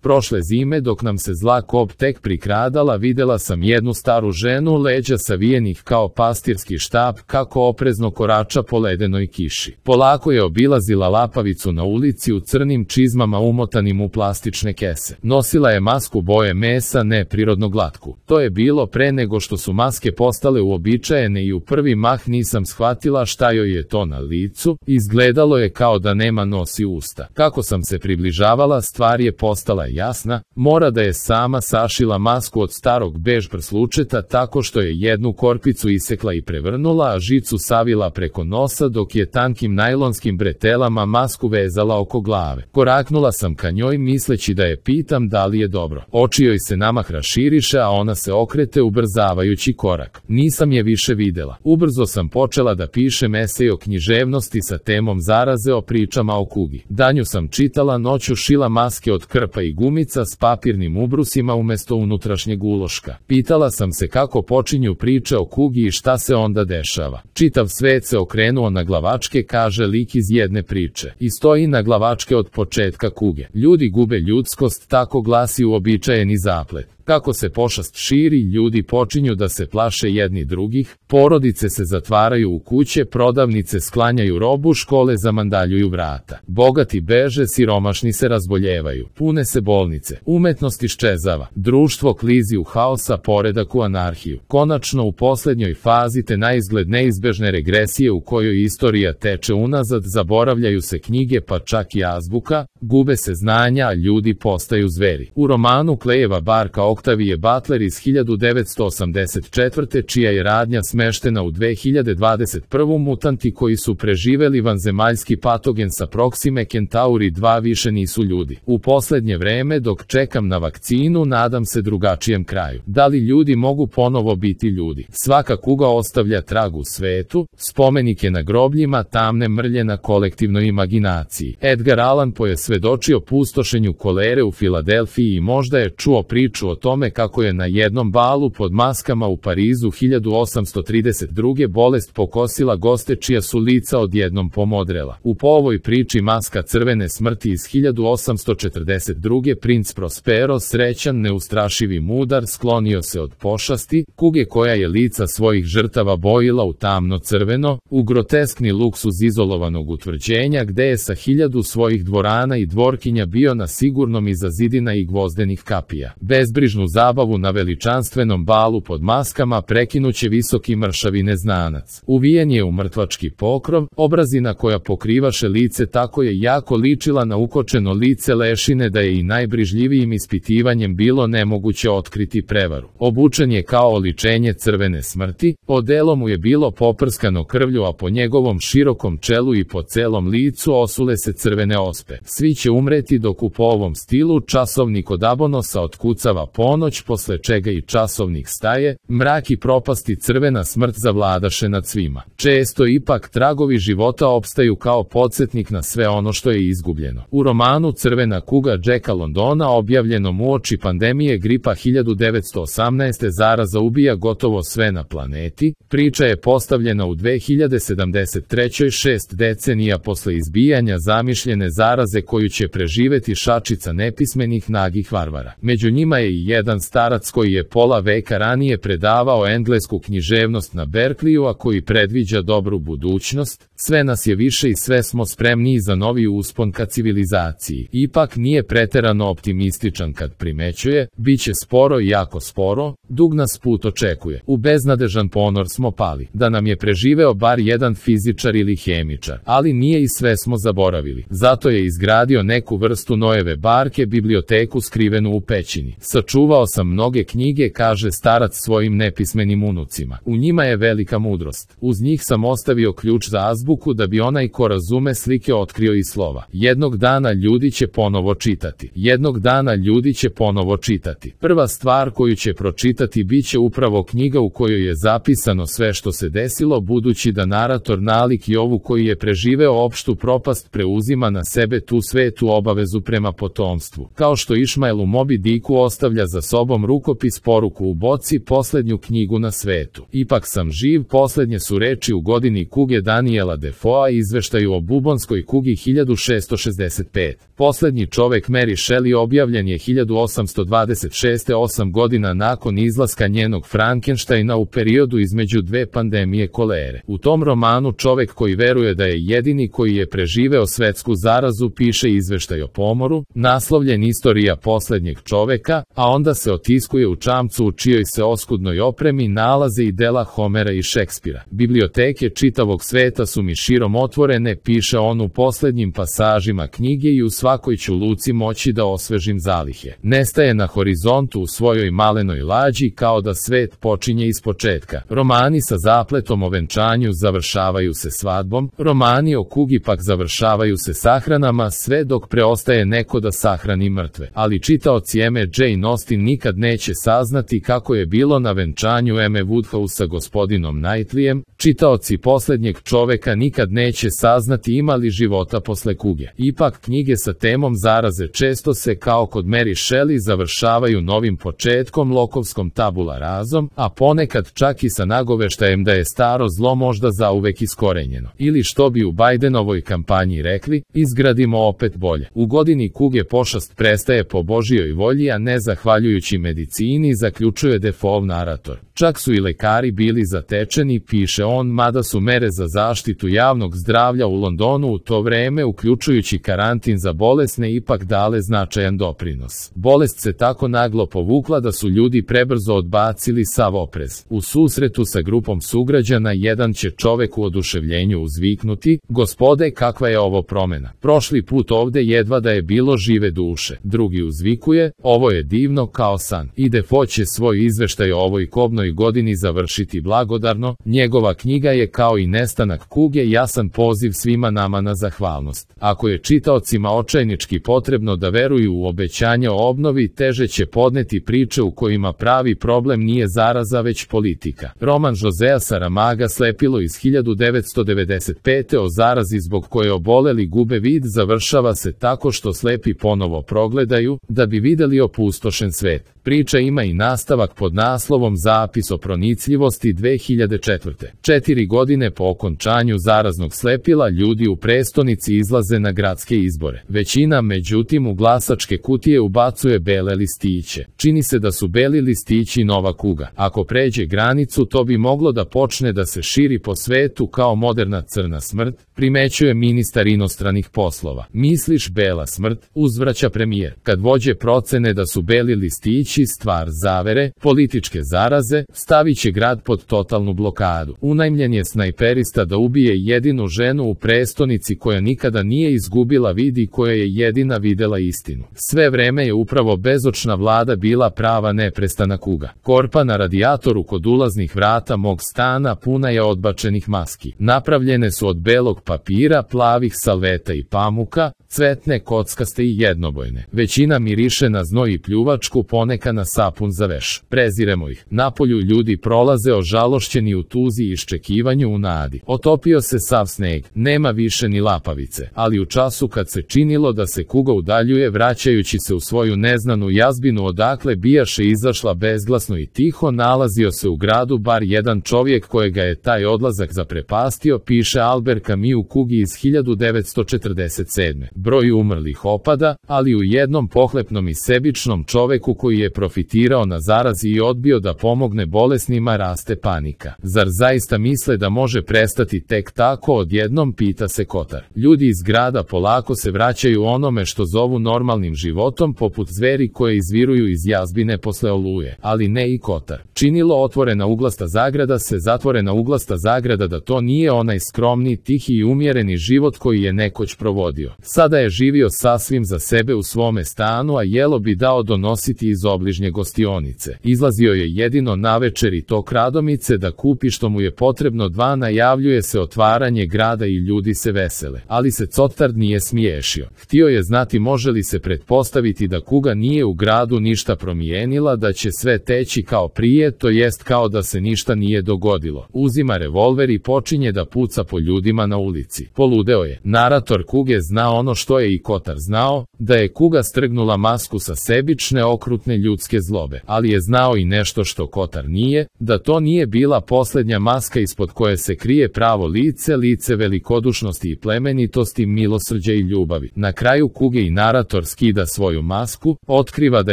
Prošle zime dok nam se zla kop tek prikradala videla sam jednu staru ženu leđa savijenih kao pastirski štap kako oprezno korača po ledenoj kiši. Polako je obilazila lapavicu na ulici u crnim čizmama umotanim u plastične kese. Nosila je masku boje mesa neprirodno glatku. To je bilo pre nego što su maske postale uobičajene i u prvi mah nisam shvatila šta joj je to na licu, izgledalo je kao da nema nos i usta. Kako sam se približavala stvar je postala jasna, mora da je sama sašila masku od starog bež prslučeta tako što je jednu korpicu isekla i prevrnula, a žicu savila preko nosa dok je tankim najlonskim bretelama masku vezala oko glave. Koraknula sam ka njoj misleći da je pitam da li je dobro. Oči joj se namah raširiše, a ona se okrete ubrzavajući korak. Nisam je više videla. Ubrzo sam počela da pišem esej o književnosti sa temom zaraze o pričama o kugi. Danju sam čitala, noću šila maske od krpa i gumica s papirnim ubrusima umesto unutrašnjeg uloška. Pitala sam se kako počinju priče o kugi i šta se onda dešava. Čitav svet se okrenuo na glavačke, kaže lik iz jedne priče. I stoji na glavačke od početka kuge. Ljudi gube ljudskost, tako glasi uobičajeni zaplet. Kako se pošast širi, ljudi počinju da se plaše jedni drugih, porodice se zatvaraju u kuće, prodavnice sklanjaju robu, škole zamandaljuju vrata. Bogati beže, siromašni se razboljevaju, pune se bolnice, umetnost iščezava, društvo klizi u haosa, poredak u anarhiju. Konačno u poslednjoj fazi te naizgled neizbežne regresije u kojoj istorija teče unazad, zaboravljaju se knjige pa čak i azbuka, gube se znanja, a ljudi postaju zveri. U romanu Klejeva barka Octavije Butler iz 1984. čija je radnja smeštena u 2021. mutanti koji su preživeli vanzemaljski patogen sa Proxime Centauri 2 više nisu ljudi. U poslednje vreme dok čekam na vakcinu nadam se drugačijem kraju. Da li ljudi mogu ponovo biti ljudi? Svaka kuga ostavlja trag u svetu, spomenike na grobljima, tamne mrlje na kolektivnoj imaginaciji. Edgar Allan Poe je svedočio pustošenju kolere u Filadelfiji i možda je čuo priču o tome kako je na jednom balu pod maskama u Parizu 1832. bolest pokosila goste čija su lica odjednom pomodrela. U ovoj priči Maska crvene smrti iz 1842. princ Prospero, srećan, neustrašivi mudar, sklonio se od pošasti, kuge koja je lica svojih žrtava bojila u tamno crveno, u groteskni luksuz izolovanog utvrđenja gde je sa 1000 svojih dvorana i dvorkinja bio na sigurnom iza zidina i gvozdenih kapija. Bezbrižnu zabavu na veličanstvenom balu pod maskama prekinuće visoki mršavi neznanac. Uvijen je u mrtvački pokrov, obrazina koja pokrivaše lice tako je jako ličila na ukočeno lice lešine da je i najbrižljivijim ispitivanjem bilo nemoguće otkriti prevaru. Obučen je kao oličenje crvene smrti, odelo mu je bilo poprskano krvlju, a po njegovom širokom čelu i po celom licu osule se crvene ospe. Svi će umreti dok u po ovom stilu časovnik od Abonosa otkucava ponoć, posle čega i časovnik staje, mrak i propasti crvena smrt zavladaše nad svima. Često ipak tragovi života opstaju kao podsjetnik na sve ono što je izgubljeno. U romanu Crvena kuga Jacka Londona objavljenom uoči pandemije gripa 1918. zaraza ubija gotovo sve na planeti, priča je postavljena u 2073. 6 decenija posle izbijanja zamišljene zaraze koju će preživeti šačica nepismenih nagih varvara. Među njima je i jedan starac koji je pola veka ranije predavao englesku književnost na Berkeleyu, a koji predviđa dobru budućnost. Sve nas je više i sve smo spremniji za novi uspon ka civilizaciji. Ipak nije preterano optimističan kad primećuje, bit će sporo i jako sporo, dug nas put očekuje. U beznadežan ponor smo pali. Da nam je preživeo bar jedan fizičar ili hemičar, ali nije i sve smo zaboravili. Zato je izgradio neku vrstu Noeve barke, biblioteku skrivenu u pećini. Sačuvao sam mnoge knjige, kaže starac svojim nepismenim unucima. U njima je velika mudrost. Uz njih sam ostavio ključ za azbuku da bi onaj ko razume slike otkrio i slova. Jednog dana ljudi će ponovo čitati. Jednog dana ljudi će ponovo čitati. Prva stvar koju će pročitati bit će upravo knjiga u kojoj je zapisano sve što se desilo, budući da narator nalik Jovu koji je preživeo opštu propast preuzima na sebe tu svetu obavezu prema potomstvu. Kao što Išmael u Moby Dicku ostavlja za sobom rukopis poruku u boci, posljednju knjigu na svetu. Ipak sam živ, posljednje su reči u godini kuge Daniela Defoea i izveštaju o bubonskoj kugi 1665. Posljednji čovek Mary Shelley objavljen je 1826. 8 godina nakon izlaska njenog Frankensteina u periodu između dve pandemije kolere. U tom romanu čovek koji veruje da je jedini koji je preživeo svetsku zarazu piše izveštaj o pomoru, naslovljen Istorija posljednjeg čoveka, a onda se otiskuje u čamcu u čijoj se oskudnoj opremi nalaze i dela Homera i Šekspira. Biblioteke čitavog sveta su mi širom otvorene, piše on u posljednjim pasažima knjige, i u svakoj ću luci moći da osvežim zalihe. Nestaje na horizontu u svojoj malenoj lađi, kao da svet počinje ispočetka. Romani sa zapletom o venčanju završavaju se svadbom, romani o kugi pak završavaju se sahranama, sve dok preostaje neko da sahrani mrtve. Ali čitaoci Eme Jane Austen nikad neće saznati kako je bilo na venčanju Eme Woodhouse sa gospodinom Knightleyem, čitaoci posljednjeg čoveka nikad neće saznati ima li života posle kuge. Ipak knjige sa temom zaraze često se, kao kod Mary Shelley, završavaju novim početkom, lokovskom tabula razom, a ponekad čak i sa nagoveštajem da je staro zlo možda zauvek iskorenjeno. Ili što bi u Bidenovoj kampanji rekli, izgradimo opet bolje. U godini kuge pošast prestaje po Božijoj volji, a ne zahvaljujući medicini, zaključuje Defoeov narator. Čak su i lekari bili zatečeni, piše on, mada su mere za zaštitu javnog zdravlja u Londonu u to vreme, uključujući karantin za bolesne, ipak dale značajan doprinos. Bolest se tako naglo povukla da su ljudi prebrzo odbacili sav oprez. U susretu sa grupom sugrađana jedan će čovek u oduševljenju uzviknuti: gospode, kakva je ovo promena! Prošli put ovde jedva da je bilo žive duše. Drugi uzvikuje: ovo je divno kao san. I Defoe će svoj izveštaj o ovoj kobnoj godini završiti blagodarno. Njegova knjiga je, kao i nestanak kuge, jasan poziv svima nama na zahvalnost. Ako je čitaocima očajnički potrebno da veruju u obećanja o obnovi, teže će podneti priče u kojima pravi problem nije zaraza već politika. Roman Josea Saramaga Slepilo iz 1995. o zarazi zbog koje oboleli gube vid završava se tako što slepi ponovo progledaju, da bi videli opustošen svet. Priča ima i nastavak pod naslovom Zapis o pronicljivosti 2004. 4 godine po okončanju zaraznog slepila ljudi u prestonici izlaze na gradske izbore. Većina, međutim, u glasačke kutije ubacuje bele listiće. Čini se da su beli listići nova kuga. Ako pređe granicu, to bi moglo da počne da se širi po svetu kao moderna crna smrt, primećuje ministar inostranih poslova. Misliš bela smrt, uzvraća premijer. Kad vođe procene da su beli listići stvar zavere, političke zaraze, stavit će grad pod totalnu blokadu. Unajmljen je snajperista da ubije jedinu ženu u prestonici koja nikada nije izgubila vid i koja je jedina videla istinu. Sve vreme je upravo bezočna vlada bila prava neprestana kuga. Korpa na radijatoru kod ulaznih vrata mog stana puna je odbačenih maski. Napravljene su od belog papira, plavih salveta i pamuka, cvetne, kockaste i jednobojne. Većina miriše na znoj i pljuvačku, poneka na sapun za veš. Preziremo ih. Napolju ljudi prolaze ožalošćeni u tuzi i iščekivanju u nadi. Otopio se sav sneg, nema više ni lapavice, ali u času kad se činilo da se kuga udaljuje, vraćajući se u svoju neznanu jazbinu odakle bijaše izašla bezglasno i tiho, nalazio se u gradu bar jedan čovjek kojega je taj odlazak zaprepastio, piše Albert Camus u kugi iz 1947. Broj umrlih opada, ali u jednom pohlepnom i sebičnom čoveku koji je profitirao na zarazi i odbio da pomogne bolesnima raste panika. Zar zaista misle da može prestati tek tako odjednom, pita se Kotar. Ljudi iz grada polako se vraćaju onome što zovu normalnim životom, poput zveri koje izviruju iz jazbine posle oluje, ali ne i Kotar. Činilo otvorena uglasta zagrada se zatvorena uglasta zagrada da to nije onaj skromni, tihi i umjereni život koji je nekoć provodio. Sada je živio sasvim za sebe u svome stanu, a jelo bi dao donositi iz obližnje gostionice. Izlazio je jedino navečer i to kradomice da kupi što mu je potrebno. Najavljuje se otvaranje grada i ljudi se vesele. Ali se Cotard nije smiješio. Htio je znati može li se pretpostaviti da kuga nije u gradu ništa promijenila, da će sve teći kao prije, to jest kao da se ništa nije dogodilo. Uzima revolver i počinje da puca po ljudima na ulici. Poludeo je. Narator kuge zna ono ono što je i Kotar znao, da je kuga strgnula masku sa sebične okrutne ljudske zlobe, ali je znao i nešto što Kotar nije, da to nije bila poslednja maska ispod koje se krije pravo lice, lice velikodušnosti i plemenitosti, milosrđa i ljubavi. Na kraju kuge i narator skida svoju masku, otkriva da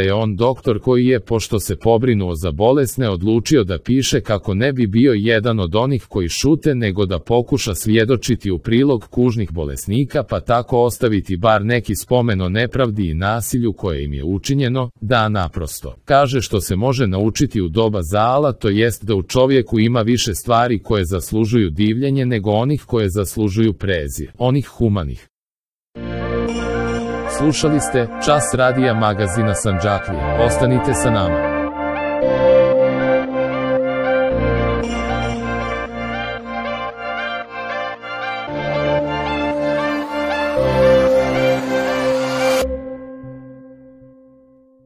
je on doktor koji je, pošto se pobrinuo za bolesne, odlučio da piše kako ne bi bio jedan od onih koji šute, nego da pokuša svjedočiti u prilog kužnih bolesnika, pa tako ostaviti bar neki spomen o nepravdi i nasilju koje im je učinjeno, da naprosto kaže što se može naučiti u doba Zaala, to jest da u čovjeku ima više stvari koje zaslužuju divljenje nego onih koje zaslužuju prezir, onih humanih. Slušali ste Čas radija magazina Sandžaklije. Ostanite sa nama.